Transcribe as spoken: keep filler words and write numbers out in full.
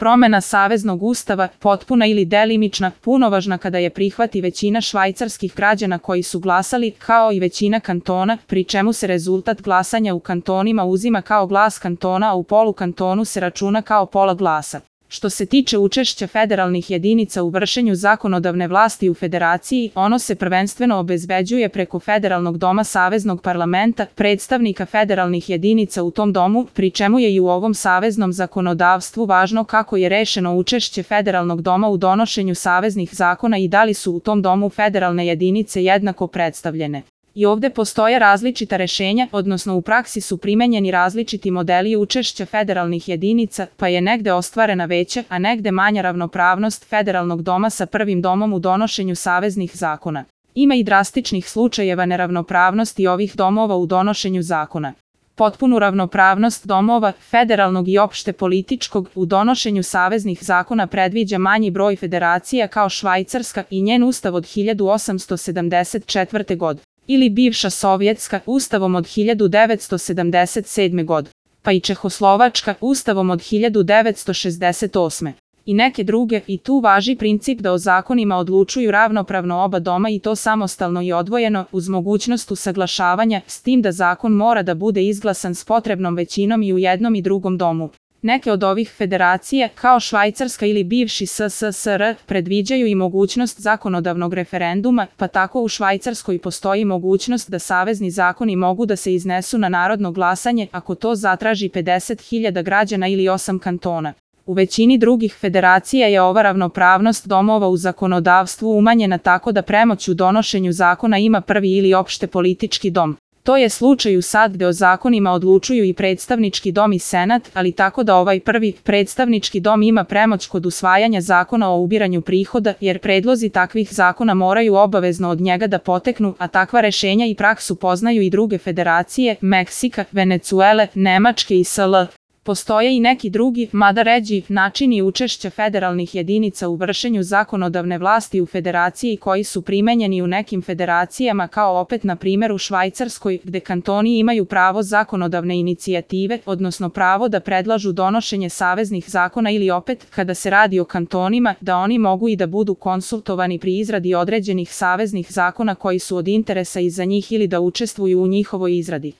Promena Saveznog ustava, potpuna ili delimična, punovažna kada je prihvati većina švajcarskih građana koji su glasali, kao i većina kantona, pri čemu se rezultat glasanja u kantonima uzima kao glas kantona, a u polukantonu se računa kao pola glasa. Što se tiče učešća federalnih jedinica u vršenju zakonodavne vlasti u federaciji, ono se prvenstveno obezbeđuje preko Federalnog doma Saveznog parlamenta, predstavnika federalnih jedinica u tom domu, pri čemu je i u ovom saveznom zakonodavstvu važno kako je rešeno učešće Federalnog doma u donošenju saveznih zakona i da li su u tom domu federalne jedinice jednako predstavljene. I ovde postoje različita rešenja, odnosno u praksi su primenjeni različiti modeli učešća federalnih jedinica, pa je negde ostvarena veća, a negde manja ravnopravnost Federalnog doma sa prvim domom u donošenju saveznih zakona. Ima i drastičnih slučajeva neravnopravnosti ovih domova u donošenju zakona. Potpunu ravnopravnost domova, federalnog i opšte političkog, u donošenju saveznih zakona predviđa manji broj federacija kao Švajcarska i njen ustav od hiljadu osamsto sedamdeset četvrte. godine. Ili bivša Sovjetska, ustavom od hiljadu devetsto sedamdeset sedme. godine, pa i Čehoslovačka, ustavom od hiljadu devetsto šezdeset osme. I neke druge, i tu važi princip da o zakonima odlučuju ravnopravno oba doma i to samostalno i odvojeno, uz mogućnost usaglašavanja, s tim da zakon mora da bude izglasan s potrebnom većinom i u jednom i drugom domu. Neke od ovih federacija, kao Švajcarska ili bivši S S S R, predviđaju i mogućnost zakonodavnog referenduma, pa tako u Švajcarskoj postoji mogućnost da savezni zakoni mogu da se iznesu na narodno glasanje ako to zatraži pedeset hiljada građana ili osam kantona. U većini drugih federacija je ova ravnopravnost domova u zakonodavstvu umanjena tako da premoć u donošenju zakona ima prvi ili opšte politički dom. To je slučaj u sad gde o zakonima odlučuju i predstavnički dom i senat, ali tako da ovaj prvi, predstavnički dom ima premoć kod usvajanja zakona o ubiranju prihoda, jer predlozi takvih zakona moraju obavezno od njega da poteknu, a takva rešenja i praksu poznaju i druge federacije, Meksika, Venecuele, Nemačke i S L. Postoje i neki drugi, mada ređi, načini učešća federalnih jedinica u vršenju zakonodavne vlasti u federaciji koji su primenjeni u nekim federacijama kao opet na primjer u Švajcarskoj, gde kantoni imaju pravo zakonodavne inicijative, odnosno pravo da predlažu donošenje saveznih zakona ili opet, kada se radi o kantonima, da oni mogu i da budu konsultovani pri izradi određenih saveznih zakona koji su od interesa i za njih ili da učestvuju u njihovoj izradi.